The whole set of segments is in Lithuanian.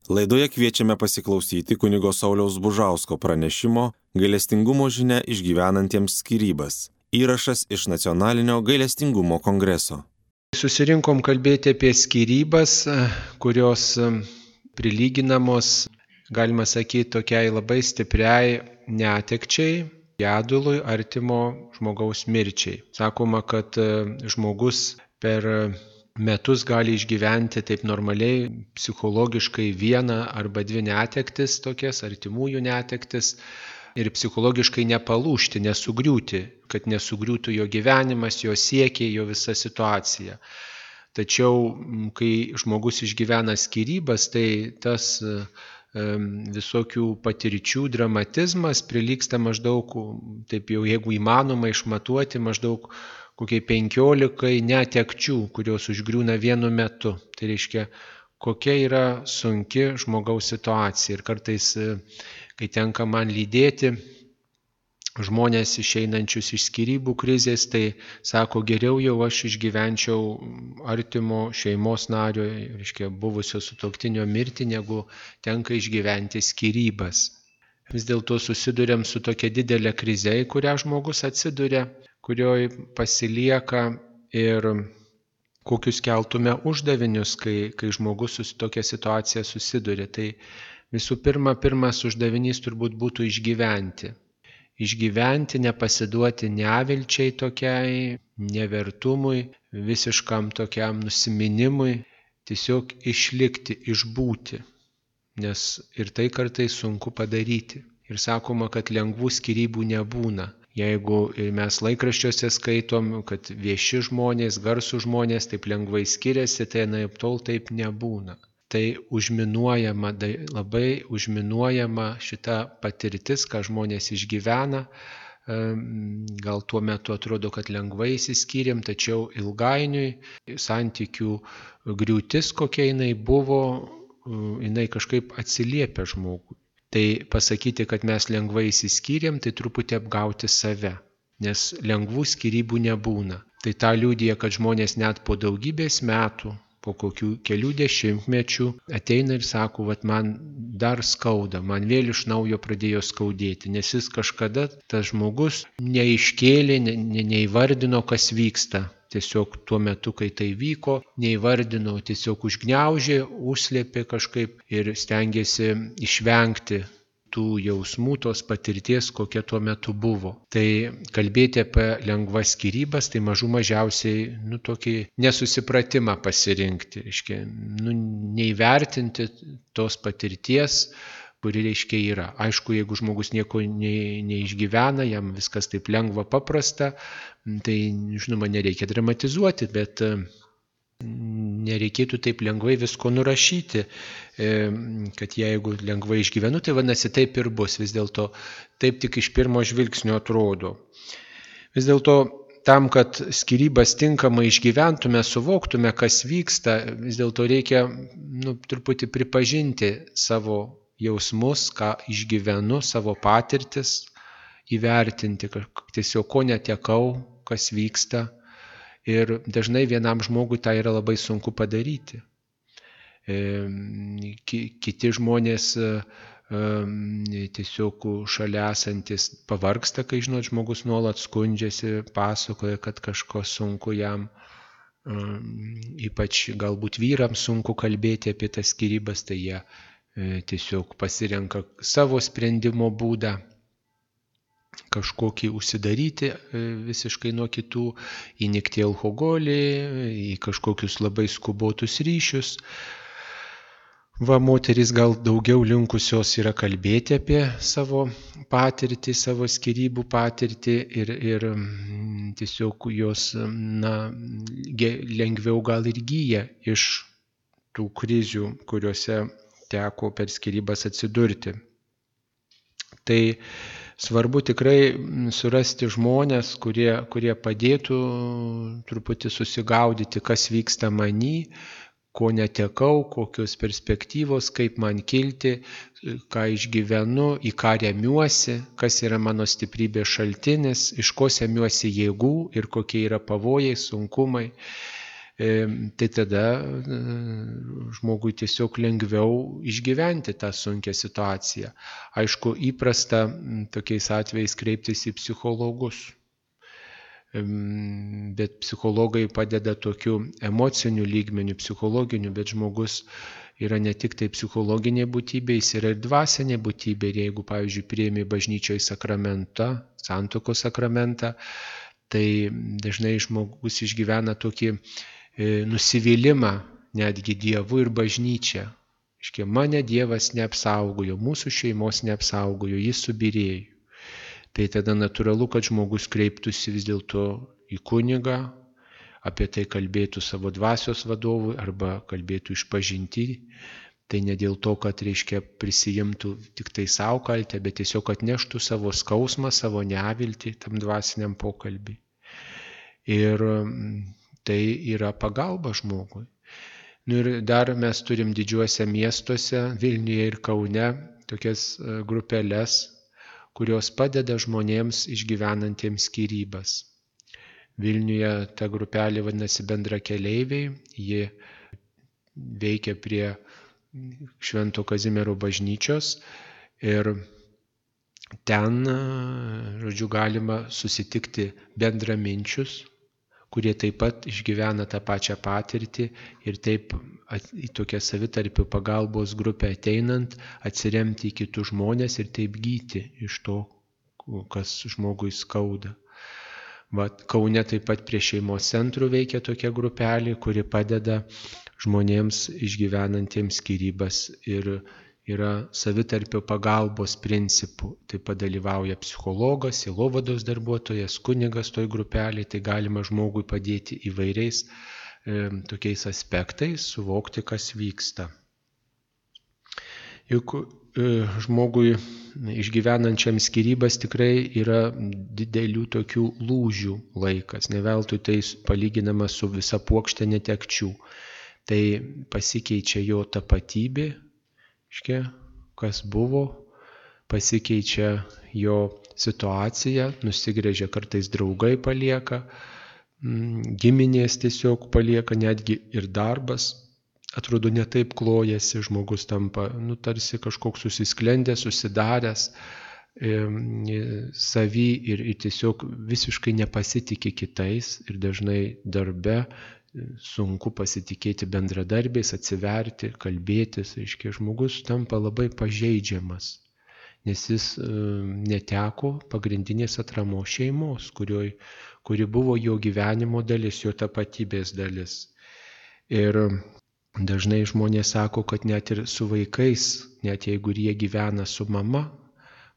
Laidoje kviečiame pasiklausyti kunigo Sauliaus Bužausko pranešimo Gailestingumo žinia išgyvenantiems skyrybas. Įrašas iš Nacionalinio gailestingumo kongreso. Susirinkom kalbėti apie skyrybas, kurios prilyginamos, galima sakyti, tokiai labai stipriai netekčiai, gedului, artimo žmogaus mirčiai. Sakoma, kad žmogus per metus gali išgyventi taip normaliai, psichologiškai vieną arba dvi netektis, tokias artimųjų netektis, ir psichologiškai nepalūžti, nesugriūti, kad nesugriūtų jo gyvenimas, jo siekiai, jo visa situacija. Tačiau, kai žmogus išgyvena skyrybas, tai tas visokių patirčių dramatizmas prilygsta maždaug, taip jau jeigu įmanoma išmatuoti, maždaug kokiai 15 netekčių, kurios užgriūna vienu metu. Tai reiškia, kokia yra sunki žmogaus situacija. Ir kartais, kai tenka man lydėti žmonės išeinančius iš skyrybų krizės, tai sako, geriau jau aš išgyvenčiau artimo šeimos nario, reiškia, buvusio sutuoktinio mirtį, negu tenka išgyventi skyrybas. Vis dėlto susiduriam su tokia didelė krize, į kurią žmogus atsiduria, kurioje pasilieka, ir kokius keltume uždavinius, kai žmogus su tokia situacija susiduria. Tai visų pirma, pirmas uždavinys turbūt būtų išgyventi. Išgyventi, nepasiduoti nevilčiai tokiai, nevertumui, visiškam tokiam nusiminimui, tiesiog išlikti, išbūti, nes ir tai kartais sunku padaryti. Ir sakoma, kad lengvų skyrybų nebūna. Jeigu mes laikraščiuose skaitom, kad vieši žmonės, garsų žmonės taip lengvai skiriasi, tai anaiptol taip nebūna. Tai užminuojama, labai užminuojama šita patirtis, ką žmonės išgyvena. Gal tuo metu atrodo, kad lengvai išsiskyrėm, tačiau ilgainiui santykių griūtis, kokia jinai buvo, jinai kažkaip atsiliepia žmogui. Tai pasakyti, kad mes lengvai išsiskyrėm, tai truputį apgauti save, nes lengvų skyrybų nebūna. Tai tą liudija, kad žmonės net po daugybės metų, po kokių kelių dešimtmečių ateina ir sako, man dar skauda, man vėl iš naujo pradėjo skaudėti, nes jis kažkada, tas žmogus, neiškėlė, neįvardino, kas vyksta. Tiesiog tuo metu, kai tai vyko, neįvardino, tiesiog užgniaužė, užslėpė kažkaip ir stengiasi išvengti tų jausmų, tos patirties, kokia tuo metu buvo. Tai kalbėti apie lengvas skyrybas, tai mažiausiai tokį nesusipratimą pasirinkti, reiškia, neįvertinti tos patirties, kuri reiškia yra. Aišku, jeigu žmogus nieko neišgyvena, jam viskas taip lengva, paprasta, tai, žinoma, nereikia dramatizuoti, bet nereikėtų taip lengvai visko nurašyti, kad jeigu lengvai išgyvenu, tai vadinasi taip ir bus. Vis dėlto taip tik iš pirmo žvilgsnio atrodo. Vis dėlto tam, kad skyrybas tinkamai išgyventume, suvoktume, kas vyksta, vis dėlto reikia truputį pripažinti savo jausmus, ką išgyvenu, savo patirtis, įvertinti, tiesiog ko netekau, kas vyksta. Ir dažnai vienam žmogui tai yra labai sunku padaryti. Kiti žmonės tiesiog šalia esantis pavargsta, kai žmogus nuolat skundžiasi, pasakoja, kad kažko sunku jam. Ypač galbūt vyrams sunku kalbėti apie tas skyrybas, tai jie tiesiog pasirenka savo sprendimo būdą, kažkokį užsidaryti visiškai nuo kitų, įnikti į alkoholį, į kažkokius labai skubotus ryšius. Moterys gal daugiau linkusios yra kalbėti apie savo patirtį, savo skyrybų patirtį ir tiesiog jos lengviau gal ir gyja iš tų krizių, kuriuose teko per skyrybas atsidurti. Tai svarbu tikrai surasti žmonės, kurie padėtų truputį susigaudyti, kas vyksta many, ko netekau, kokios perspektyvos, kaip man kilti, ką išgyvenu, į ką remiuosi, kas yra mano stiprybės šaltinis, iš ko semiuosi jėgų ir kokie yra pavojai, sunkumai. tai tada žmogui tiesiog lengviau išgyventi tą sunkią situaciją. Aišku, įprasta tokiais atvejais kreiptis į psichologus, bet psichologai padeda tokiu emociniu lygmeniu, psichologiniu, bet žmogus yra ne tik tai psichologinė būtybė, jis yra ir dvasinė būtybė. Ir jeigu, pavyzdžiui, priimi bažnyčioje sakramentą, santuokos sakramentą, tai dažnai žmogus išgyvena tokį nusivylimą netgi Dievu ir bažnyčia. Iškia, mane Dievas neapsaugojo, mūsų šeimos neapsaugojo, jis subyrėjo. Tai tada natūralu, kad žmogus kreiptųsi vis dėlto į kunigą, apie tai kalbėtų savo dvasios vadovui arba kalbėtų išpažinti. Tai ne dėl to, kad prisijimtų tik tai savo kaltę, bet tiesiog atneštų savo skausmą, savo neviltį tam dvasiniam pokalbį. Ir tai yra pagalba žmogui. Ir dar mes turim didžiuose miestuose, Vilniuje ir Kaune, tokias grupelės, kurios padeda žmonėms išgyvenantiems skyrybas. Vilniuje ta grupelė vadinasi Bendrakeleiviai, ji veikia prie Švento Kazimiero bažnyčios ir ten, žodžiu, galima susitikti bendraminčius, kurie taip pat išgyvena tą pačią patirtį ir taip į tokią savitarpio pagalbos grupę ateinant atsiremti į kitus žmonės ir taip gyti iš to, kas žmogui skauda. Kaune taip pat prie šeimos centrų veikia tokia grupelė, kuri padeda žmonėms išgyvenantiems skyrybas ir yra savitarpio pagalbos principų. Taip pat dalyvauja psichologas, sielovados darbuotojas, kunigas toj grupelėje, tai galima žmogui padėti įvairiais tokiais aspektais, suvokti, kas vyksta. Juk žmogui išgyvenančiam skyrybas tikrai yra didelių tokių lūžių laikas, ne veltui tai palyginama su visa puokšte netekčių. Tai pasikeičia jo tapatybė, kas buvo, pasikeičia jo situacija, nusigręžia kartais draugai palieka, giminės tiesiog palieka, netgi ir darbas. Atrodo, ne taip klojasi, žmogus tampa, tarsi kažkoks susisklendęs, susidaręs savy ir tiesiog visiškai nepasitikė kitais ir dažnai darbe sunku pasitikėti bendradarbiais, atsiverti, kalbėtis. Aiškiai, žmogus tampa labai pažeidžiamas, nes jis neteko pagrindinės atramos šeimos, kuri buvo jo gyvenimo dalis, jo tapatybės dalis. Ir dažnai žmonės sako, kad net ir su vaikais, net jeigu jie gyvena su mama,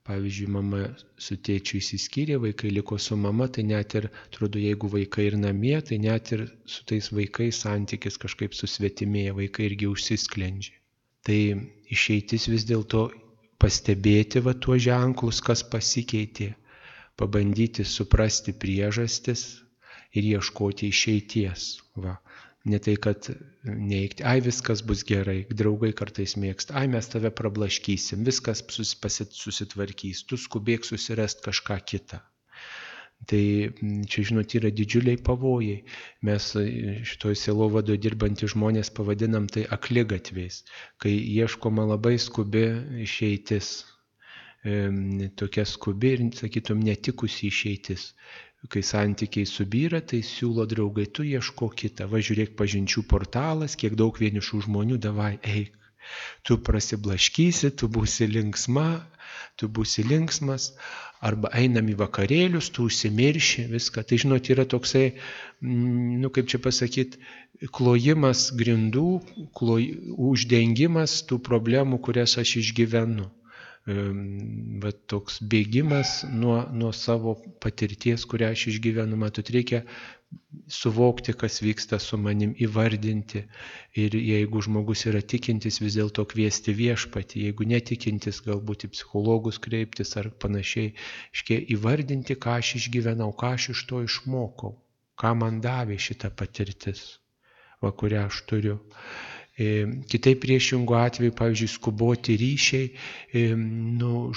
pavyzdžiui, mama su tėčiu išsiskyrė, vaikai liko su mama, tai net ir, atrodo, jeigu vaikai ir namie, tai net ir su tais vaikais santykis kažkaip susvetimėja, vaikai irgi užsisklendžia. Tai išeitis vis dėlto pastebėti tuos ženklus, kas pasikeitė, pabandyti suprasti priežastis ir ieškoti išeities. Ne tai, kad neigti, viskas bus gerai, draugai kartais mėgsta, mes tave prablaškysim, viskas susitvarkys, tu skubėk susirasti kažką kitą. Tai čia, žinot, yra didžiuliai pavojai. Mes šitoj sielovadoje dirbantys žmonės pavadinam tai akligatviais, kai ieškoma labai skubi išeitis, tokia skubi ir, sakytum, netikusi išeitis. Kai santykiai subyra, tai siūlo draugai, tu ieško kitą, žiūrėk pažinčių portalas, kiek daug vienišų žmonių, davai, eik, tu prasiblaškysi, tu būsi linksmas, arba einam į vakarėlius, tu užsimirši viską. Tai, žinot, yra toksai, kaip čia pasakyti, klojimas grindų, uždengimas tų problemų, kurias aš išgyvenu. Toks bėgimas nuo savo patirties, kurią aš išgyvenu. Matot, reikia suvokti, kas vyksta su manim, įvardinti. Ir jeigu žmogus yra tikintis, vis dėlto kviesti viešpatį. Jeigu netikintis, galbūt į psichologus kreiptis ar panašiai. Įvardinti, ką aš išgyvenau, ką aš iš to išmokau, ką man davė šita patirtis, kurią aš turiu. Kitaip priešingų atveju, pavyzdžiui, skuboti ryšiai,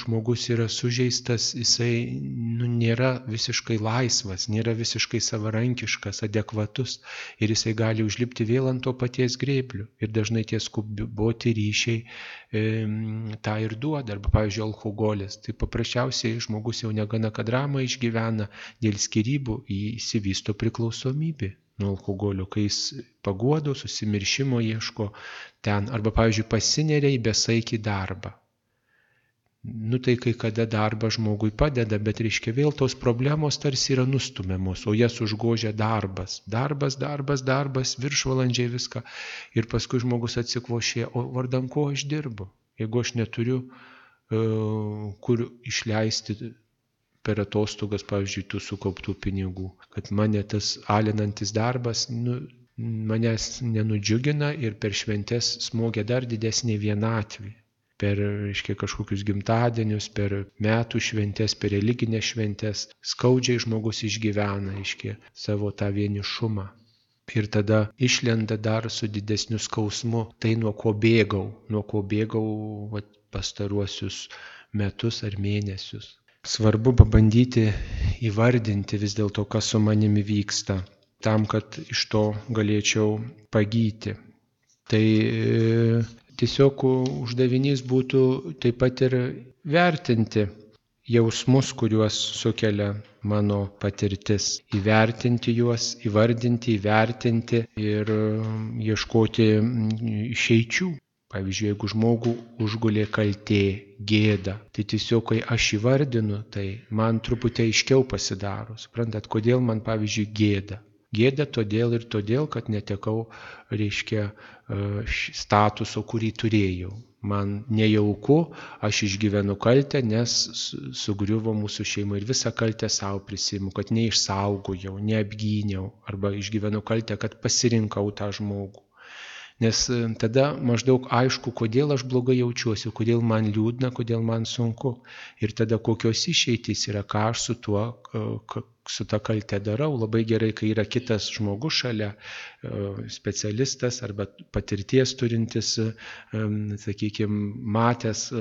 žmogus yra sužeistas, jisai nėra visiškai laisvas, nėra visiškai savarankiškas, adekvatus ir jisai gali užlipti vėl ant to paties grėblio. Ir dažnai tie skuboti ryšiai tą ir duoda. Arba, pavyzdžiui, alkoholis. Tai paprasčiausiai žmogus jau negana kad dramą išgyvena, dėl skyrybų įsivysto priklausomybė nuo alkoholio, kai jis paguodo, susimiršimo ieško ten. Arba, pavyzdžiui, pasineria į besaikį darbą. Tai kai kada darbas žmogui padeda, bet reiškia vėl tos problemos tarsi yra nustumiamos, o jas užgožia darbas. Darbas, viršvalandžiai viską. Ir paskui žmogus atsikvošė, o vardan ko aš dirbu? Jeigu aš neturiu kur išleisti per atostogas, pavyzdžiui, tų sukauptų pinigų, kad mane tas alinantis darbas manęs nenudžiugina ir per šventes smogia dar didesnė vienatvė. Per, reiškia, kažkokius gimtadienius, per metų šventes, per religinės šventes skaudžiai žmogus išgyvena, reiškia, savo tą vienišumą. Ir tada išlenda dar su didesniu skausmu, tai nuo ko bėgau pastaruosius metus ar mėnesius. Svarbu pabandyti įvardinti vis dėlto, kas su manimi vyksta, tam, kad iš to galėčiau pagyti. Tai tiesiog uždavinys būtų taip pat ir vertinti jausmus, kuriuos sukelia mano patirtis. Įvertinti juos, įvardinti, įvertinti ir ieškoti išeičių. Pavyzdžiui, jeigu žmogų užgulė kaltė, gėda, tai tiesiog, kai aš įvardinu, tai man truputį aiškiau pasidaro. Suprantat, kodėl man, pavyzdžiui, gėda? Gėda todėl, kad netekau, reiškia, statuso, kurį turėjau. Man nejauku, aš išgyvenu kaltę, nes sugriuvo mūsų šeima ir visą kaltę savo prisiimu, kad neišsaugojau, neapgyniau, arba išgyvenu kaltę, kad pasirinkau tą žmogų. Nes tada maždaug aišku, kodėl aš blogai jaučiuosi, kodėl man liūdna, kodėl man sunku. Ir tada kokios išeitys yra, ką aš su ta kalte darau. Labai gerai, kai yra kitas žmogus šalia, specialistas arba patirties turintis, sakykime, matęs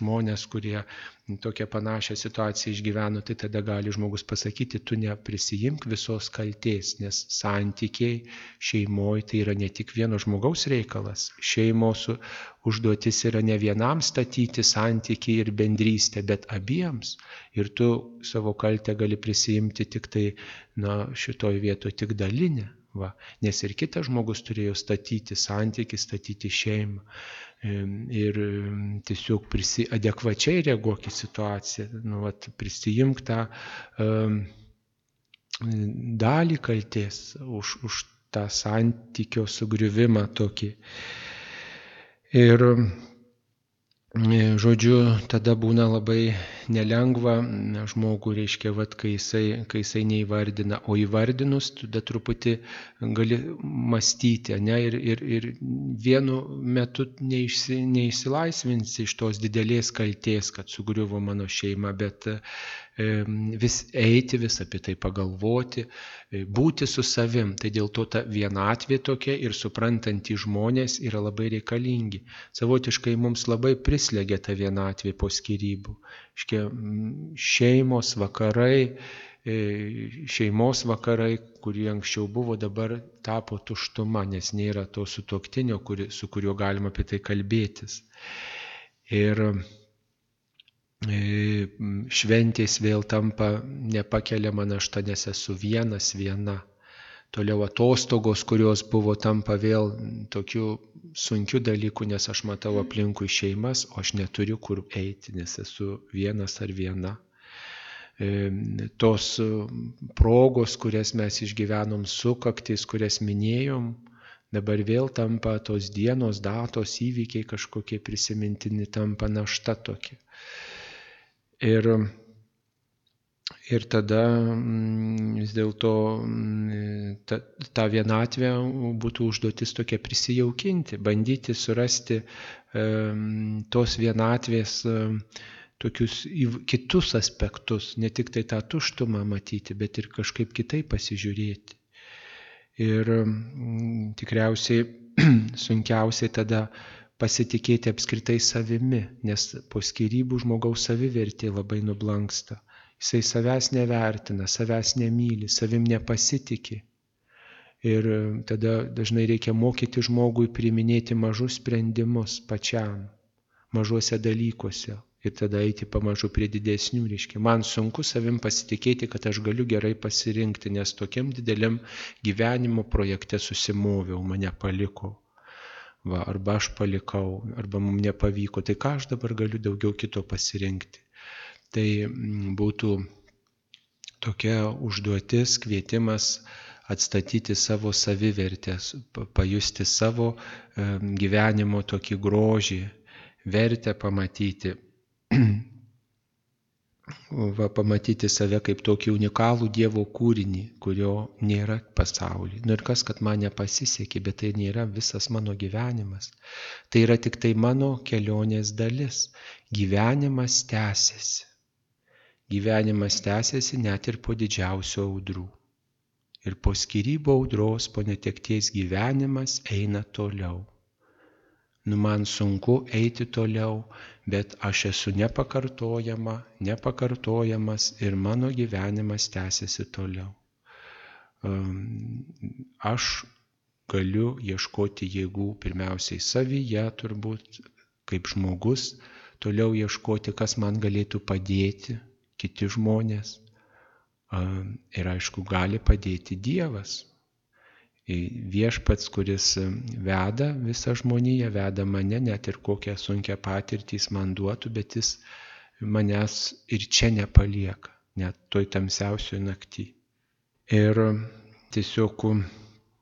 žmonės, kurie tokią panašią situaciją išgyveno, tai tada gali žmogus pasakyti, tu neprisijimk visos kaltės, nes santykiai šeimoje tai yra ne tik vieno žmogaus reikalas. Šeimos užduotis yra ne vienam statyti santykiai ir bendrystę, bet abiems. Ir tu savo kaltę gali prisijimti tik tai, šitoj vietoje tik dalinę. Nes ir kitas žmogus turėjo statyti santykį, statyti šeimą. Ir tiesiog adekvačiai reaguok į situaciją, prisijimk tą dalį kaltės už tą santykio sugriuvimą tokį. Ir žodžiu, tada būna labai nelengva žmogų, reiškia, kai jisai neįvardina, o įvardinus, tada truputį gali mąstyti, ir vienu metu neišsilaisvinsi iš tos didelės kaltės, kad sugriuvo mano šeima, bet vis eiti, vis apie tai pagalvoti, būti su savim. Tai dėl to ta vienatvė tokia ir suprantantys žmonės yra labai reikalingi. Savotiškai mums labai prislegia ta vienatvė po skyrybų. Šeimos vakarai, kurie anksčiau buvo, dabar tapo tuštuma, nes nėra to sutuoktinio, su kuriuo galima apie tai kalbėtis. Ir šventės vėl tampa nepakeliama našta, nes esu viena. Toliau atostogos, kurios buvo, tampa vėl tokiu sunkiu dalyku, nes aš matau aplinkui šeimas, o aš neturiu kur eiti, nes esu vienas ar viena. Tos progos, kurias mes išgyvenom, sukaktis, kurias minėjom, dabar vėl tampa tos dienos, datos, įvykiai kažkokie prisimintini, tampa našta tokia. Ir tada vis dėlto tą vienatvę būtų užduotis tokia prisijaukinti, bandyti surasti tos vienatvės tokius kitus aspektus, ne tik tai tą tuštumą matyti, bet ir kažkaip kitaip pasižiūrėti. Ir tikriausiai sunkiausiai tada pasitikėti apskritai savimi, nes po skyrybų žmogaus savivertė labai nublanksta. Jisai savęs nevertina, savęs nemyli, savim nepasitikė. Ir tada dažnai reikia mokyti žmogui priiminėti mažus sprendimus pačiam, mažuose dalykuose. Ir tada eiti pamažu prie didesnių, reiškia. Man sunku savim pasitikėti, kad aš galiu gerai pasirinkti, nes tokiam dideliam gyvenimo projekte susimoviau, mane paliko. Arba aš palikau, arba mums nepavyko. Tai ką aš dabar galiu daugiau kito pasirinkti? Tai būtų tokia užduotis, kvietimas atstatyti savo savivertę, pajusti savo gyvenimo tokį grožį, vertę pamatyti. Pamatyti save kaip tokį unikalų Dievo kūrinį, kurio nėra pasaulyje. Ir kas, kad man nepasisekė, bet tai nėra visas mano gyvenimas. Tai yra tik tai mano kelionės dalis. Gyvenimas tęsiasi. Gyvenimas tęsiasi net ir po didžiausių audrų. Ir po skyrybų audros, po netekties gyvenimas eina toliau. Man sunku eiti toliau, bet aš esu nepakartojamas ir mano gyvenimas tęsiasi toliau. Aš galiu ieškoti jėgų pirmiausiai savyje, turbūt, kaip žmogus, toliau ieškoti, kas man galėtų padėti, kiti žmonės. Ir aišku, gali padėti Dievas. Viešpats, kuris veda visą žmoniją, veda mane, net ir kokią sunkią patirtį jis man duotų, bet jis manęs ir čia nepalieka, net toj tamsiausioj naktį. Ir tiesiog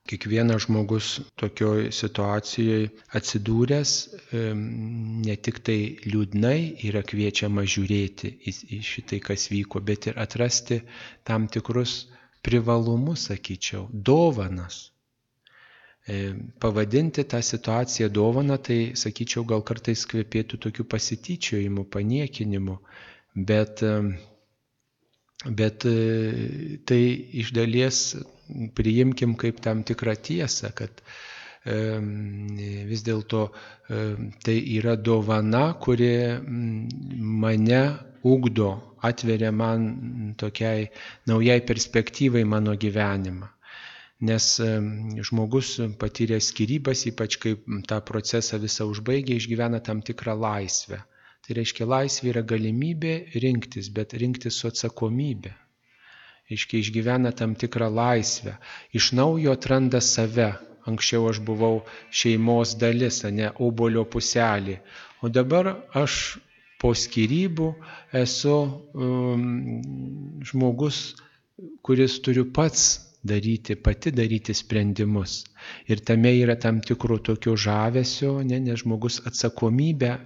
kiekvienas žmogus tokioj situacijoje atsidūręs ne tik tai liūdnai yra kviečiama žiūrėti į šitai, kas vyko, bet ir atrasti tam tikrus privalumus, sakyčiau, dovanas. Pavadinti tą situaciją dovana, tai, sakyčiau, gal kartais kvepėtų tokiu pasityčiojimu, paniekinimu, bet tai iš dalies priimkim kaip tam tikrą tiesą, kad vis dėlto tai yra dovana, kuri mane ugdo, atveria man tokiai naujai perspektyvai mano gyvenimą. Nes žmogus patyręs skyrybas, ypač kaip tą procesą visą užbaigia, išgyvena tam tikrą laisvę. Tai reiškia, laisvė yra galimybė rinktis, bet rinktis su atsakomybė. Reiškia, išgyvena tam tikrą laisvę. Iš naujo atranda save. Anksčiau aš buvau šeimos dalis, ne obuolio puselė. O dabar aš po skyrybų esu žmogus, kuris turiu pati daryti sprendimus. Ir tame yra tam tikro tokio žavesio, nes žmogus atsakomybę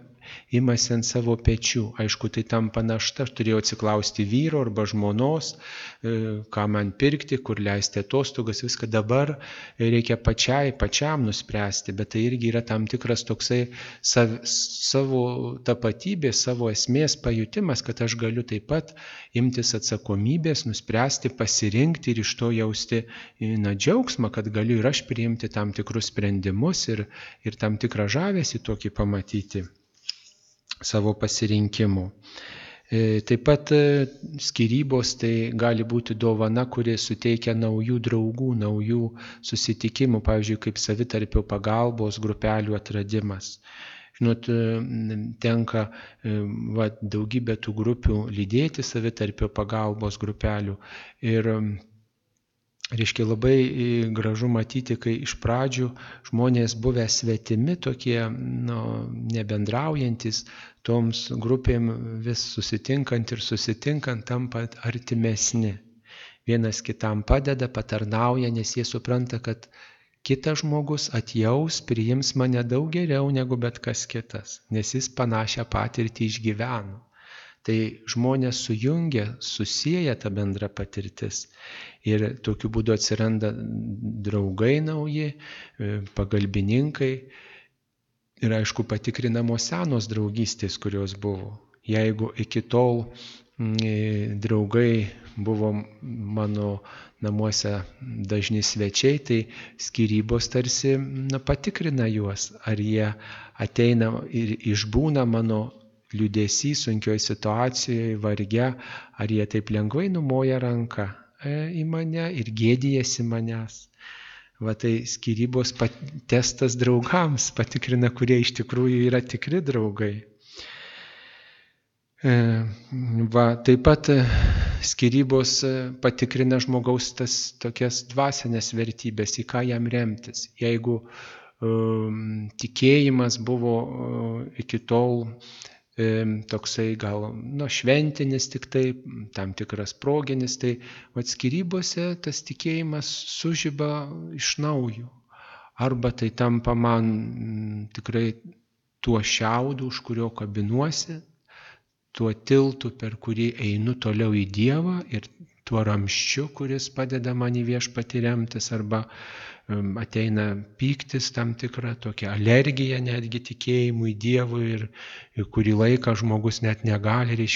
imasi ant savo pečių. Aišku, tai tampa našta. Aš turėjau atsiklausti vyro arba žmonos, ką man pirkti, kur leisti atostogas, viską dabar reikia pačiam nuspręsti, bet tai irgi yra tam tikras toksai savo tapatybės, savo esmės pajutimas, kad aš galiu taip pat imtis atsakomybės, nuspręsti, pasirinkti ir iš to jausti džiaugsmą, kad galiu ir aš priimti tam tikrus sprendimus ir tam tikrą žavesį tokį pamatyti savo pasirinkimų. Taip pat skyrybos tai gali būti dovana, kuri suteikia naujų draugų, naujų susitikimų, pavyzdžiui, kaip savitarpio pagalbos grupelių atradimas. Žinot, tenka daugybę tų grupių lydėti, savitarpio pagalbos grupelių. Ir reiškia, labai gražu matyti, kai iš pradžių žmonės buvę svetimi, tokie nebendraujantis, toms grupėm vis susitinkant tampa artimesni. Vienas kitam padeda, patarnauja, nes jie supranta, kad kitas žmogus atjaus, priims mane daug geriau negu bet kas kitas, nes jis panašią patirtį išgyveno. Tai žmonės sujungia, susieja tą bendrą patirtis ir tokiu būdu atsiranda draugai nauji, pagalbininkai ir aišku patikrinamos senos draugystės, kurios buvo. Jeigu iki tol draugai buvo mano namuose dažni svečiai, tai skyrybos tarsi patikrina juos, ar jie ateina ir išbūna mano liūdesį sunkioje situacijoje, varge, ar jie taip lengvai numoja ranką į mane ir gėdijasi manęs. Va tai skyrybos testas draugams patikrina, kurie iš tikrųjų yra tikri draugai. Va, taip pat skyrybos patikrina žmogaus tas tokias dvasinės vertybės, į ką jam remtis. Jeigu tikėjimas buvo iki tol toksai gal šventinis tik tai, tam tikras proginis, tai skyrybose tas tikėjimas sužiba iš naujo. Arba tai tampa man tikrai tuo šiaudu, už kurio kabinuosi, tuo tiltu, per kurį einu toliau į Dievą ir tuo ramščiu, kuris padeda man į Viešpatį remtis, arba ateina pyktis tam tikra, tokia alergija netgi tikėjimui Dievui ir kurį laiką žmogus net negali,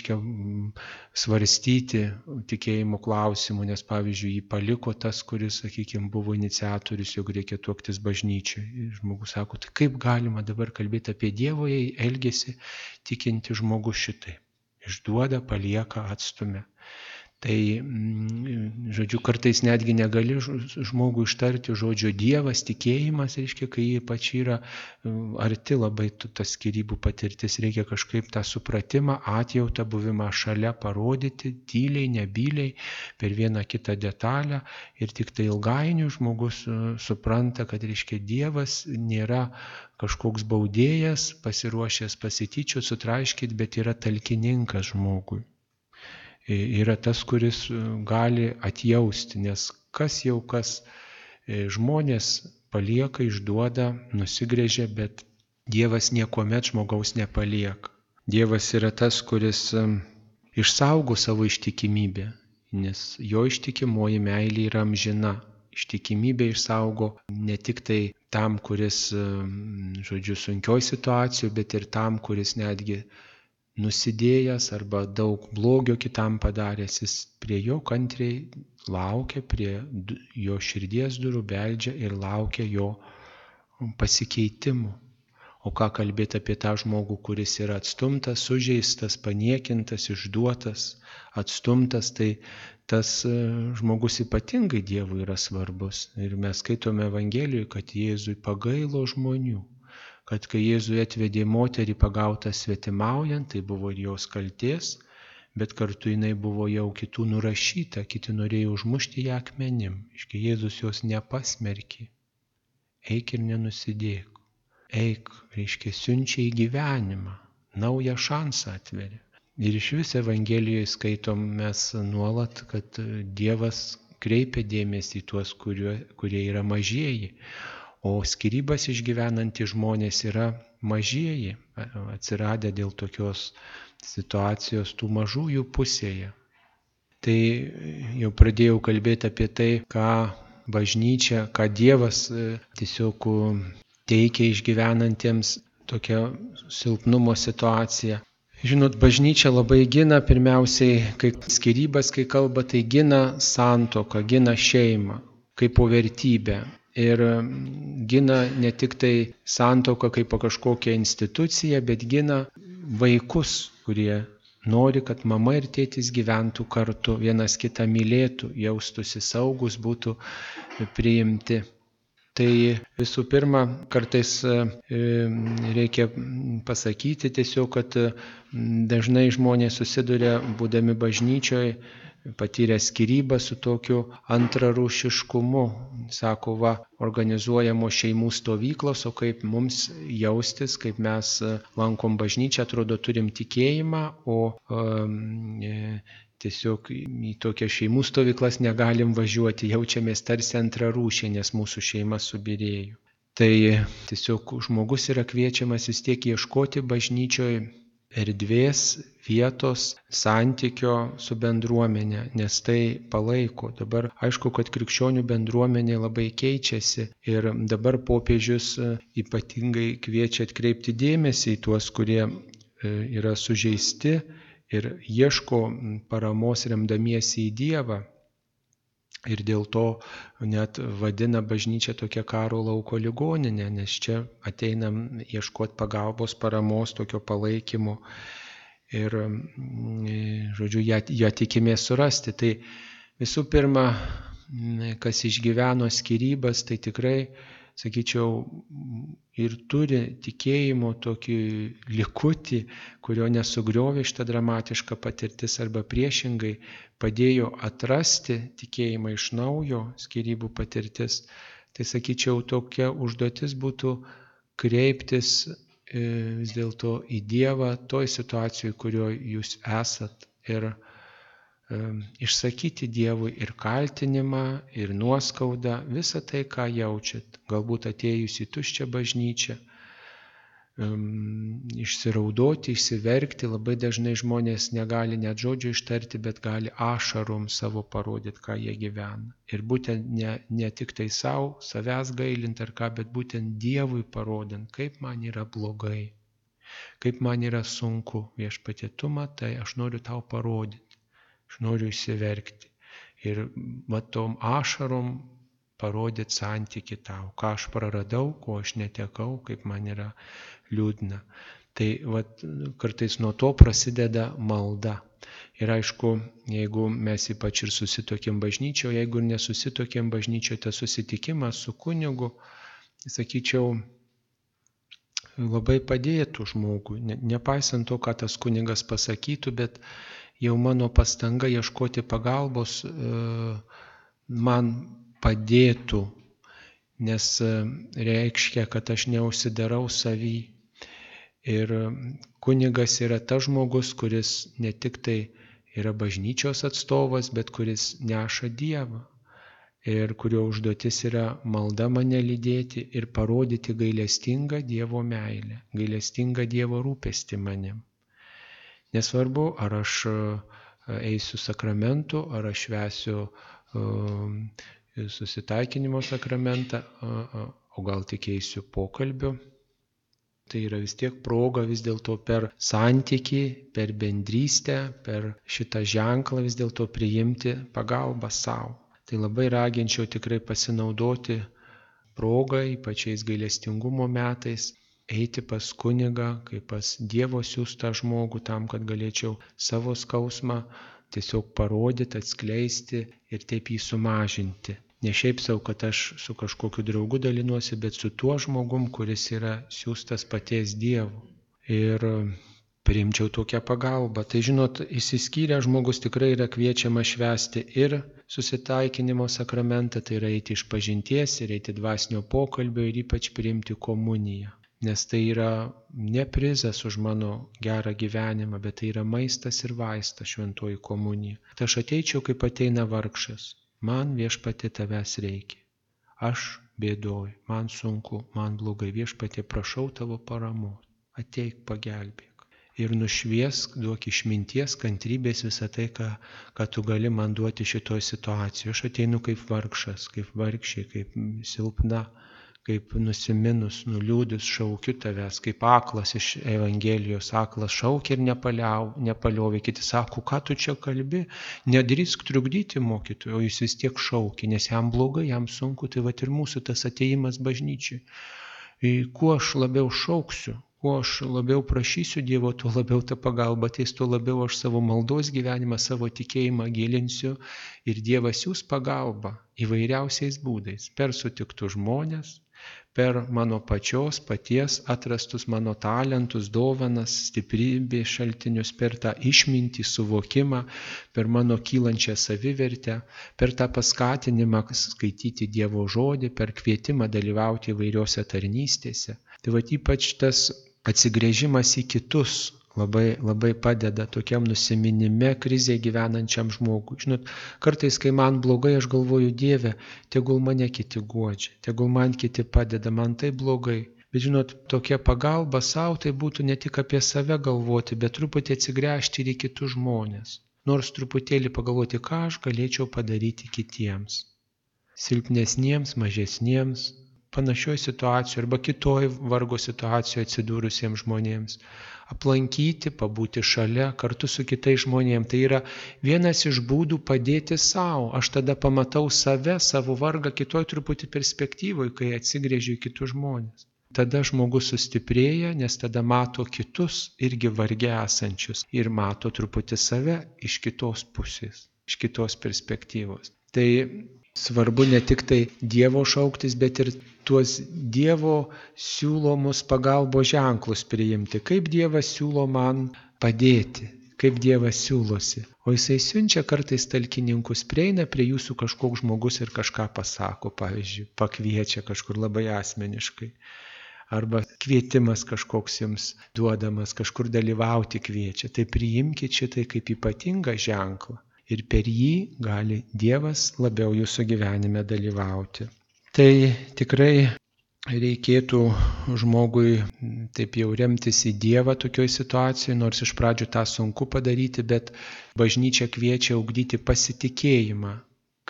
svarstyti tikėjimo klausimų, nes pavyzdžiui jį paliko tas, kuris, sakykime, buvo iniciatorius, jog reikia tuoktis bažnyčiai. Ir žmogus sako, tai kaip galima dabar kalbėti apie Dievo, jei elgiasi tikinti žmogus šitai. Išduoda, palieka, atstumia. Tai, žodžiu, kartais netgi negali žmogui ištarti žodžio Dievas, tikėjimas, kai jie pačiai yra arti labai tas skyrybų patirtis, reikia kažkaip tą supratimą, atjautą, buvimą šalia parodyti, tyliai, nebyliai, per vieną kitą detalę, ir tik tai ilgainiui žmogus supranta, kad, Dievas nėra kažkoks baudėjas, pasiruošęs pasityčiot, sutraiškyti, bet yra talkininkas žmogui. Yra tas, kuris gali atjausti, nes kas žmonės palieka, išduoda, nusigrėžia, bet Dievas niekuomet žmogaus nepalieka. Dievas yra tas, kuris išsaugo savo ištikimybę, nes jo ištikimoji meilė yra amžina. Ištikimybę išsaugo ne tik tai tam, kuris, sunkioj situacijoje, bet ir tam, kuris netgi nusidėjęs arba daug blogio kitam padaręs, jis prie jo kantriai laukia, prie jo širdies durų beldžia ir laukia jo pasikeitimų. O ką kalbėti apie tą žmogų, kuris yra atstumtas, sužeistas, paniekintas, išduotas, atstumtas, tai tas žmogus ypatingai Dievui yra svarbus. Ir mes skaitome Evangelijoje, kad Jėzui pagailo žmonių. Kad kai Jėzui atvedė moterį pagautą svetimaujant, tai buvo ir jos kaltės, bet kartu jinai buvo jau kitų nurašyta, kiti norėjo užmušti ją akmenim. Jėzus jos nepasmerkė. Eik ir nenusidėk. Eik, siunčia į gyvenimą, naują šansą atveria. Ir iš vis Evangelijoje skaitom mes nuolat, kad Dievas kreipia dėmesį į tuos, kurie yra mažieji. O skyrybas išgyvenantys žmonės yra mažieji, atsiradę dėl tokios situacijos tų mažųjų pusėje. Tai jau pradėjau kalbėti apie tai, ką bažnyčia, ką Dievas tiesiog teikia išgyvenantiems tokią silpnumo situaciją. Žinot, bažnyčia labai gina pirmiausiai, kai skyrybas, kai kalba, tai gina santuoką, gina šeimą kaip po vertybę. Ir gina ne tik tai santuoką kaip kažkokią instituciją, bet gina vaikus, kurie nori, kad mama ir tėtis gyventų kartu, vienas kitą mylėtų, jaustųsi saugus, būtų priimti. Tai visų pirma, kartais reikia pasakyti tiesiog, kad dažnai žmonės susiduria, būdami bažnyčioje, patyrė skyrybą su tokiu antrarūšiškumu. Sako, organizuojamos šeimų stovyklos, o kaip mums jaustis, kaip mes lankom bažnyčią, atrodo turim tikėjimą, o tiesiog į tokias šeimų stovyklas negalim važiuoti, jaučiamės tarsi antrarūšiai, nes mūsų šeima subyrėjo. Tai tiesiog žmogus yra kviečiamas vis tiek ieškoti bažnyčioje erdvės, vietos, santykio su bendruomenė, nes tai palaiko. Dabar aišku, kad krikščionių bendruomenė labai keičiasi ir dabar popiežius ypatingai kviečia atkreipti dėmesį į tuos, kurie yra sužeisti ir ieško paramos remdamiesi į Dievą. Ir dėl to net vadina bažnyčią tokia karo lauko ligoninė, nes čia ateinam ieškoti pagalbos, paramos, tokio palaikymo ir, žodžiu, ją tikimės surasti. Tai visų pirma, kas išgyveno skyrybas, tai tikrai, sakyčiau, ir turi tikėjimo tokį likutį, kurio nesugriovė šitą dramatišką patirtis arba priešingai padėjo atrasti tikėjimą iš naujo, skyrybų patirtis. Tai, sakyčiau, tokia užduotis būtų kreiptis vis dėlto į Dievą toj situacijoje, kurioje jūs esat, ir išsakyti Dievui ir kaltinimą, ir nuoskaudą, visą tai, ką jaučiat. Galbūt atėjus į tuščią bažnyčią, išsiraudoti, išsiverkti. Labai dažnai žmonės negali net žodžio ištarti, bet gali ašarom savo parodyti, ką jie gyvena. Ir būtent ne tik tai savo, savęs gailint ar ką, bet būtent Dievui parodant, kaip man yra blogai, kaip man yra sunku. Viešpatie, tu matai, aš noriu tau parodyti. Aš noriu išsiverkti ir tom ašarom parodyti santyki tau, ką aš praradau, ko aš netekau, kaip man yra liūdna. Tai kartais nuo to prasideda malda. Ir aišku, jeigu mes ypač ir susitokėm bažnyčioje, jeigu ir nesusitokėm bažnyčioje, tas susitikimas su kunigu, sakyčiau, labai padėtų žmogui. Nepaisant to, ką tas kunigas pasakytų, bet jau mano pastanga ieškoti pagalbos man padėtų, nes reiškia, kad aš neužsidarau savy. Ir kunigas yra tas žmogus, kuris ne tik tai yra bažnyčios atstovas, bet kuris neša Dievą. Ir kurio užduotis yra malda mane lydėti ir parodyti gailestingą Dievo meilę, gailestingą Dievo rūpestį manim. Nesvarbu, ar aš eisiu sakramentu, ar aš švęsiu susitaikinimo sakramentą, o gal tik eisiu pokalbiu. Tai yra vis tiek proga vis dėlto per santykį, per bendrystę, per šitą ženklą vis dėlto priimti pagalbą savo. Tai labai raginčiau tikrai pasinaudoti progą, ypač gailestingumo metais, eiti pas kunigą, kaip pas Dievo siųstą žmogų, tam, kad galėčiau savo skausmą tiesiog parodyti, atskleisti ir taip jį sumažinti. Ne šiaip savo, kad aš su kažkokiu draugu dalinuosi, bet su tuo žmogum, kuris yra siųstas paties Dievo. Ir priimčiau tokią pagalbą. Tai žinot, išsiskyrę žmogus tikrai yra kviečiama švęsti ir susitaikinimo sakramentą, tai yra eiti išpažinties ir eiti dvasinio pokalbio ir ypač priimti komuniją. Nes tai yra ne prizas už mano gerą gyvenimą, bet tai yra maistas ir vaistas, šventoji komunija. Tai aš ateičiau, kaip ateina vargšas. Man, Viešpatie, tavęs reikia. Aš bėdoju, man sunku, man blogai. Viešpatie, prašau tavo paramos. Ateik, pagelbėk. Ir nušviesk, duok išminties, kantrybės visą tai, ką tu gali man duoti šitoj situacijoje. Aš ateinu kaip vargšas, kaip vargšė, kaip silpna, kaip nusiminus, nuliūdus, šaukiu tavęs, kaip aklas iš Evangelijos, aklas šaukia ir nepaliovė. Kiti sako, ką tu čia kalbi, nedrįsk trukdyti mokytojui, o jis vis tiek šaukia, nes jam blogai, jam sunku. Tai vat ir mūsų tas atėjimas bažnyčiai. Kuo aš labiau šauksiu, kuo aš labiau prašysiu Dievo, tuo labiau ta pagalba ateis, tuo labiau aš savo maldos gyvenimą, savo tikėjimą gilinsiu ir Dievas siųs pagalbą įvairiausiais būdais, per sutiktus žmonės, per mano paties atrastus mano talentus, dovanas, stiprybės šaltinius, per tą išmintį, suvokimą, per mano kylančią savivertę, per tą paskatinimą skaityti Dievo žodį, per kvietimą dalyvauti įvairiose tarnystėse. Tai va ypač tas atsigręžimas į kitus labai, labai padeda tokiam nusiminime, krizėje gyvenančiam žmogui. Žinot, kartais, kai man blogai, aš galvoju, Dieve, tegul mane kiti guodžia, tegul man kiti padeda, man tai blogai. Bet žinot, tokia pagalba savo tai būtų ne tik apie save galvoti, bet truputį atsigręžti ir į kitus žmonės. Nors truputėlį pagalvoti, ką aš galėčiau padaryti kitiems. Silpnesniems, mažesniems, panašioj situacijoje arba kitoj vargo situacijoje atsidūrusiems žmonėms. Aplankyti, pabūti šalia, kartu su kitais žmonėms. Tai yra vienas iš būdų padėti savo. Aš tada pamatau save, savo vargą kitoj truputį perspektyvoje, kai atsigrėžiu į kitus žmonės. Tada žmogus sustiprėja, nes tada mato kitus irgi varge esančius ir mato truputį save iš kitos pusės, iš kitos perspektyvos. Tai svarbu ne tik tai Dievo šauktis, bet ir tuos Dievo siūlomus pagalbos ženklus priimti. Kaip Dievas siūlo man padėti, kaip Dievas siūlosi. O Jisai siunčia kartais talkininkus, prieina prie jūsų kažkoks žmogus ir kažką pasako, pavyzdžiui, pakviečia kažkur labai asmeniškai. Arba kvietimas kažkoks jums duodamas, kažkur dalyvauti kviečia. Tai priimkite šitai kaip ypatingą ženklą. Ir per jį gali Dievas labiau jūsų gyvenime dalyvauti. Tai tikrai reikėtų žmogui taip jau remtis į Dievą tokioj situacijoje, nors iš pradžių tą sunku padaryti, bet bažnyčia kviečia ugdyti pasitikėjimą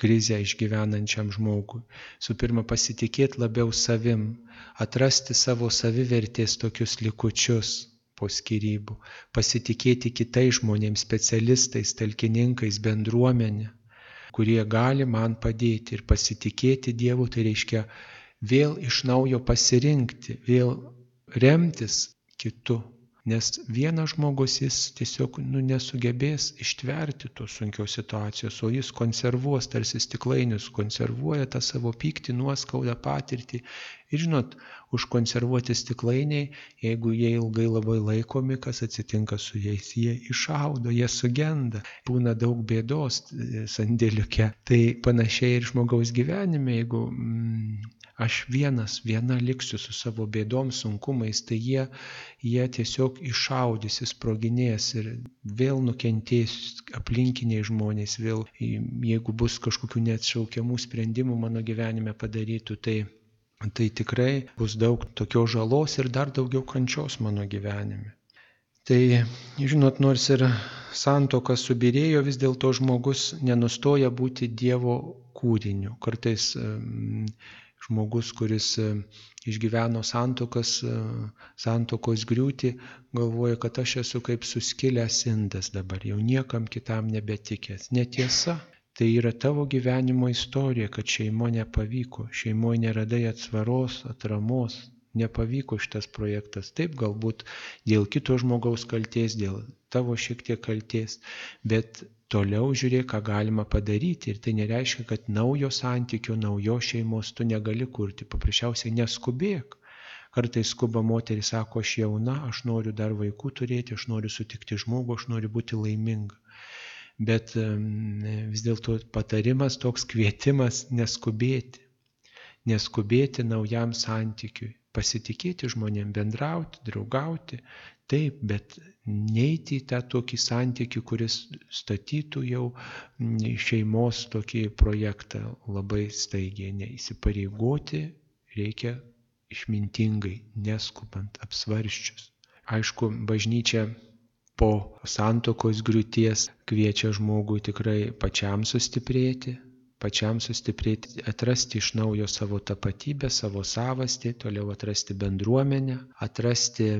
krizę išgyvenančiam žmogui. Su pirma, pasitikėti labiau savim, atrasti savo savivertės tokius likučius po skyrybų, pasitikėti kitais žmonėms, specialistais, talkininkais, bendruomenė, kurie gali man padėti. Ir pasitikėti Dievu, tai reiškia vėl iš naujo pasirinkti, vėl remtis kitu. Nes vienas žmogus jis tiesiog nesugebės ištverti tos sunkios situacijos, o jis konservuos, tarsi stiklainius, konservuoja tą savo pyktį, nuoskaudą, patirtį. Ir žinot, užkonservuoti stiklainiai, jeigu jie ilgai labai laikomi, kas atsitinka su jais, jie išaudo, jie sugenda, būna daug bėdos sandėliuke. Tai panašiai ir žmogaus gyvenime, jeigu aš viena liksiu su savo bėdom, sunkumais, tai jie tiesiog išaudys, sproginės ir vėl nukentės aplinkiniai žmonės, vėl jeigu bus kažkokių neatšaukiamų sprendimų mano gyvenime padarytų, tai tikrai bus daug tokios žalos ir dar daugiau kančios mano gyvenime. Tai, žinot, nors ir santuoka subyrėjo, vis dėlto žmogus nenustoja būti Dievo kūriniu. Kartais žmogus, kuris išgyveno santuokos griūtį, galvoja, kad aš esu kaip suskilęs indas dabar, jau niekam kitam nebetikęs. Netiesa, tai yra tavo gyvenimo istorija, kad šeimo nepavyko, šeimoje neradai atsvaros, atramos, nepavyko šitas projektas. Taip, galbūt dėl kito žmogaus kaltės, dėl tavo šiek tiek kaltės, bet toliau žiūrėk, ką galima padaryti. Ir tai nereiškia, kad naujo santykio, naujos šeimos tu negali kurti. Paprasčiausiai neskubėk. Kartais skuba moteris, sako, aš jauna, aš noriu dar vaikų turėti, aš noriu sutikti žmogų, aš noriu būti laiminga. Bet vis dėlto patarimas toks, kvietimas neskubėti. Neskubėti naujam santykiui. Pasitikėti žmonėm, bendrauti, draugauti. Taip, bet neiti į tą tokį santykį, kuris statytų jau šeimos tokį projektą labai staigiai. Neįsipareigoti reikia išmintingai, neskubant, apsvarsčius. Aišku, bažnyčia po santuokos griūties kviečia žmogui tikrai pačiam sustiprėti, atrasti iš naujo savo tapatybę, savo savastį, toliau atrasti bendruomenę, atrasti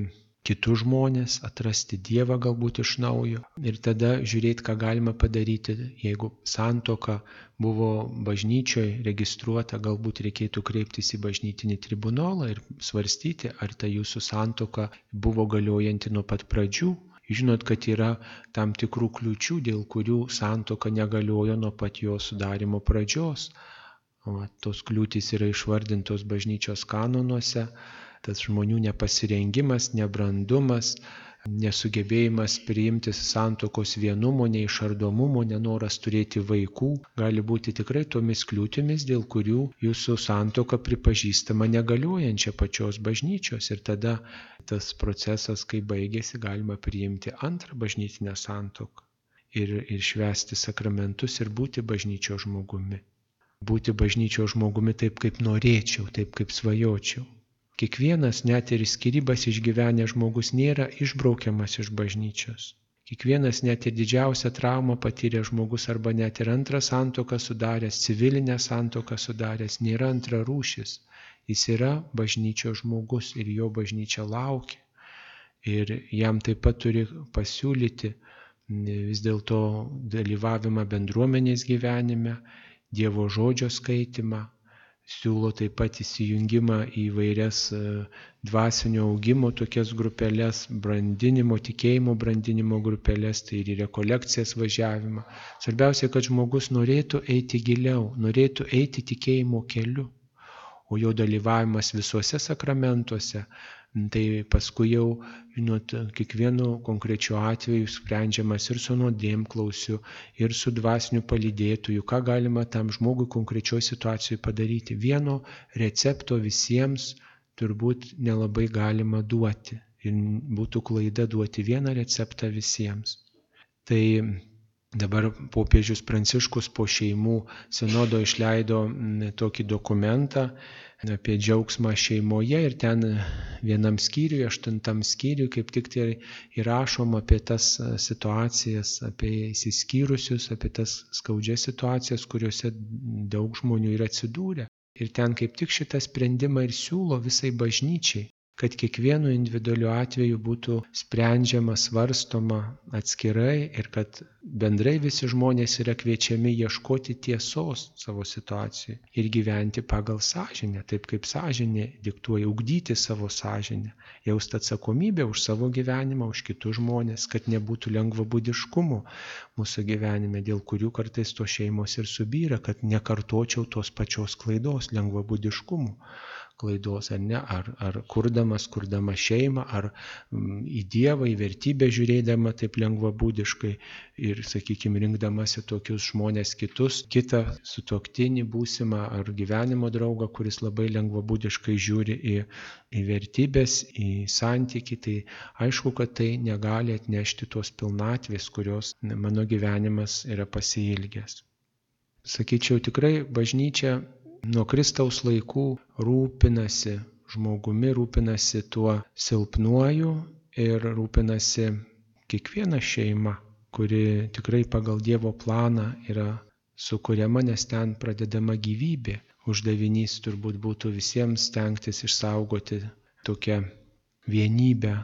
kitus žmonės, atrasti Dievą galbūt iš naujo ir tada žiūrėti, ką galima padaryti. Jeigu santuoka buvo bažnyčioje registruota, galbūt reikėtų kreiptis į bažnytinį tribunolą ir svarstyti, ar ta jūsų santuoka buvo galiojanti nuo pat pradžių. Žinot, kad yra tam tikrų kliūčių, dėl kurių santuoka negaliojo nuo pat jo sudarimo pradžios. Tos kliūtys yra išvardintos bažnyčios kanonuose. Tas žmonių nepasirengimas, nebrandumas, nesugebėjimas priimti santuokos vienumo, neišardomumo, nenoras turėti vaikų, gali būti tikrai tomis kliūtimis, dėl kurių jūsų santuoka pripažįstama negaliojančia pačios bažnyčios. Ir tada tas procesas, kai baigėsi, galima priimti antrą bažnytinę santuoką ir švęsti sakramentus ir būti bažnyčios žmogumi. Būti bažnyčios žmogumi taip, kaip norėčiau, taip, kaip svajočiau. Kiekvienas, net ir skyrybas išgyvenęs žmogus, nėra išbraukiamas iš bažnyčios. Kiekvienas, net ir didžiausią traumą patyręs žmogus arba net ir antrą santuoką sudaręs, civilinę santuoką sudaręs, nėra antrarūšis. Jis yra bažnyčios žmogus ir jo bažnyčia laukia. Ir jam taip pat turi pasiūlyti vis dėlto dalyvavimą bendruomenės gyvenime, Dievo žodžio skaitimą, siūlo taip pat įsijungimą į vairias dvasinio augimo tokias grupelės, tikėjimo brandinimo grupelės, tai ir į rekolekcijas važiavimą. Svarbiausia, kad žmogus norėtų eiti giliau, norėtų eiti tikėjimo keliu, o jo dalyvavimas visuose sakramentuose, tai paskui jau, kiekvienu konkrečiu atveju sprendžiamas ir su nuodėmklausiu, ir su dvasiniu palydėtoju, ką galima tam žmogui konkrečioje situacijoje padaryti. Vieno recepto visiems turbūt nelabai galima duoti. Ir būtų klaida duoti vieną receptą visiems. Tai dabar popiežius Pranciškus po šeimų sinodo išleido tokį dokumentą apie džiaugsmą šeimoje ir ten vienam skyriui, 8 skyriui, kaip tik tai įrašoma apie tas situacijas, apie išsiskyrusius, apie tas skaudžias situacijas, kuriuose daug žmonių yra atsidūrę. Ir ten kaip tik šitą sprendimą ir siūlo visai bažnyčiai, kad kiekvienu individualiu atveju būtų sprendžiama, svarstoma atskirai ir kad bendrai visi žmonės yra kviečiami ieškoti tiesos savo situacijoje ir gyventi pagal sąžinę, taip kaip sąžinė diktuoja, ugdyti savo sąžinę, jausti atsakomybę už savo gyvenimą, už kitus žmonės, kad nebūtų lengvabūdiškumo mūsų gyvenime, dėl kurių kartais tos šeimos ir subyra, kad nekartočiau tos pačios klaidos, lengvabūdiškumo klaidos, ar ne, ar kurdama šeimą, ar į Dievą, į vertybę žiūrėdama taip lengvabūdiškai ir, sakykime, rinkdamasi tokius žmonės kitą sutuoktinį būsimą ar gyvenimo draugą, kuris labai lengvabūdiškai žiūri į vertybės, į santykį, tai aišku, kad tai negali atnešti tos pilnatvės, kurios mano gyvenimas yra pasiilgęs. Sakyčiau, tikrai bažnyčia nuo Kristaus laikų rūpinasi žmogumi, rūpinasi tuo silpnuoju ir rūpinasi kiekviena šeima, kuri tikrai pagal Dievo planą yra sukuriama, nes ten pradedama gyvybė. Uždavinys turbūt būtų visiems stengtis išsaugoti tokią vienybę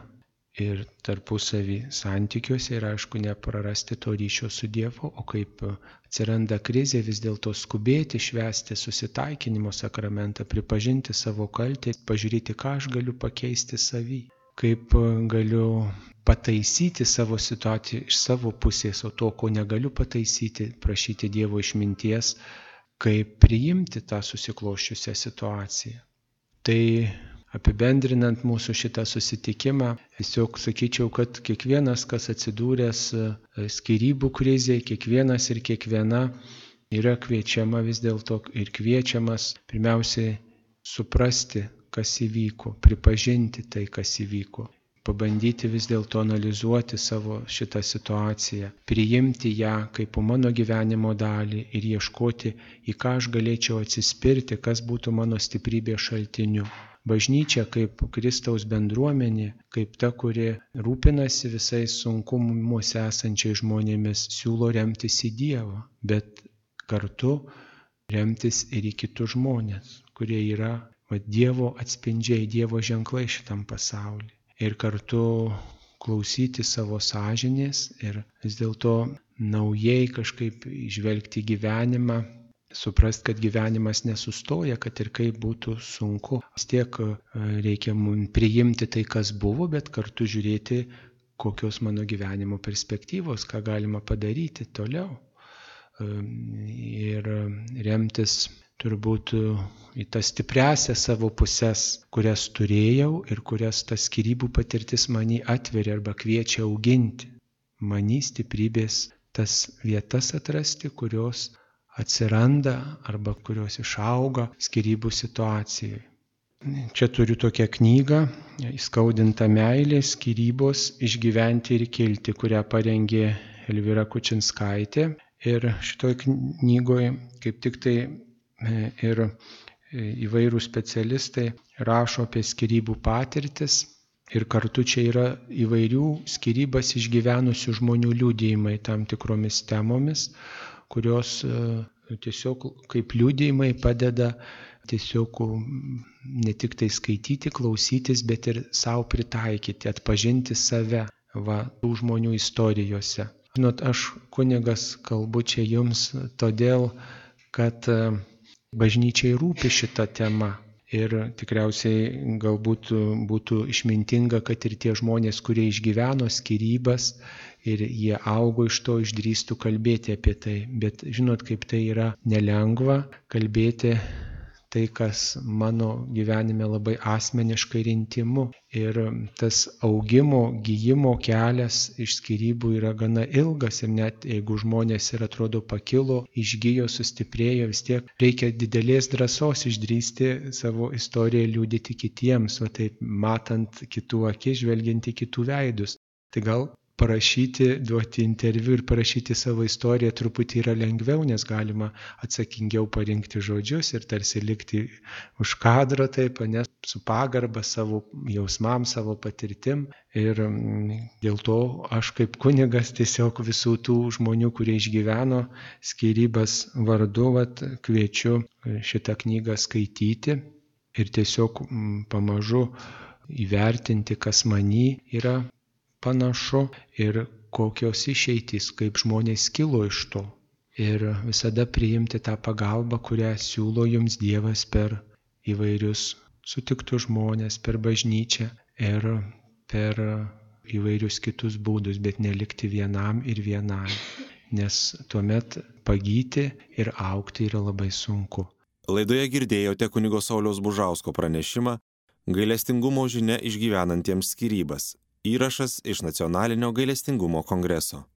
ir tarpusavį santykiuose ir, aišku, neprarasti to ryšio su Dievu, o kaip atsiranda krizė, vis dėlto skubėti švęsti susitaikinimo sakramentą, pripažinti savo kaltę, pažiūrėti, ką aš galiu pakeisti savy, kaip galiu pataisyti savo situaciją iš savo pusės, o to, ko negaliu pataisyti, prašyti Dievo išminties, kaip priimti tą susikloščiusią situaciją. Tai apibendrinant mūsų šitą susitikimą, tiesiog sakyčiau, kad kiekvienas, kas atsidūręs skyrybų krizėje, kiekvienas ir kiekviena yra kviečiama vis dėlto ir kviečiamas pirmiausiai suprasti, kas įvyko, pripažinti tai, kas įvyko, pabandyti vis dėlto analizuoti savo šitą situaciją, priimti ją kaip mano gyvenimo dalį ir ieškoti, į ką aš galėčiau atsispirti, kas būtų mano stiprybės šaltiniu. Bažnyčia kaip Kristaus bendruomenė, kaip ta, kuri rūpinasi visais sunkumuose esančiais žmonėmis, siūlo remtis į Dievą, bet kartu remtis ir į kitus žmonės, kurie yra Dievo atspindžiai, Dievo ženklai šitam pasauliu. Ir kartu klausyti savo sąžinės ir vis dėlto naujai kažkaip žvelgti gyvenimą, suprast, kad gyvenimas nesustoja, kad ir kaip būtų sunku. Vis tiek reikia mums priimti tai, kas buvo, bet kartu žiūrėti, kokios mano gyvenimo perspektyvos, ką galima padaryti toliau. Ir remtis turbūt į tas stipriasias savo puses, kurias turėjau ir kurias tas skyrybų patirtis mani atveria arba kviečia auginti. Mani stiprybės tas vietas atrasti, kurios atsiranda arba kurios išauga skyrybų situacijoje. Čia turiu tokią knygą, Įskaudinta meilė, skyrybos, išgyventi ir kilti, kurią parengė Elvyra Kučinskaitė. Ir šitoj knygoje kaip tik tai ir įvairūs specialistai rašo apie skyrybų patirtis. Ir kartu čia yra įvairių skyrybas išgyvenusių žmonių liudijimai tam tikromis temomis, kurios tiesiog kaip liudijimai padeda tiesiog ne tik tai skaityti, klausytis, bet ir savo pritaikyti, atpažinti save tų žmonių istorijose. Žinot, aš kunigas kalbu čia jums todėl, kad bažnyčiai rūpi šita tema. Ir tikriausiai galbūt būtų išmintinga, kad ir tie žmonės, kurie išgyveno skyrybas ir jie augo iš to, išdrįstų kalbėti apie tai. Bet žinot, kaip tai yra nelengva kalbėti tai, kas mano gyvenime labai asmeniškai ir intymu. Ir tas augimo, gijimo kelias iš skyrybų yra gana ilgas ir net jeigu žmonės ir atrodo pakilo, išgijo, sustiprėjo, vis tiek reikia didelės drąsos išdrįsti savo istoriją liudyti kitiems, o taip matant kitų akis, žvelgiant į kitų veidus. Tai gal parašyti, duoti interviu ir parašyti savo istoriją truputį yra lengviau, nes galima atsakingiau parinkti žodžius ir tarsi likti už kadro, taip, nes su pagarba savo jausmams, savo patirtim. Ir dėl to aš kaip kunigas tiesiog visų tų žmonių, kurie išgyveno skyrybas vardu, kviečiu šitą knygą skaityti ir tiesiog pamažu įvertinti, kas many yra panašu ir kokios išeitys, kaip žmonės kilo iš to. Ir visada priimti tą pagalbą, kurią siūlo jums Dievas per įvairius sutiktus žmonės, per bažnyčią ir per įvairius kitus būdus, bet nelikti vienam ir vienai. Nes tuomet pagyti ir augti yra labai sunku. Laidoje girdėjote kunigo Sauliaus Bužausko pranešimą Gailestingumo žinia išgyvenantiems skyrybas. Įrašas iš Nacionalinio gailestingumo kongreso.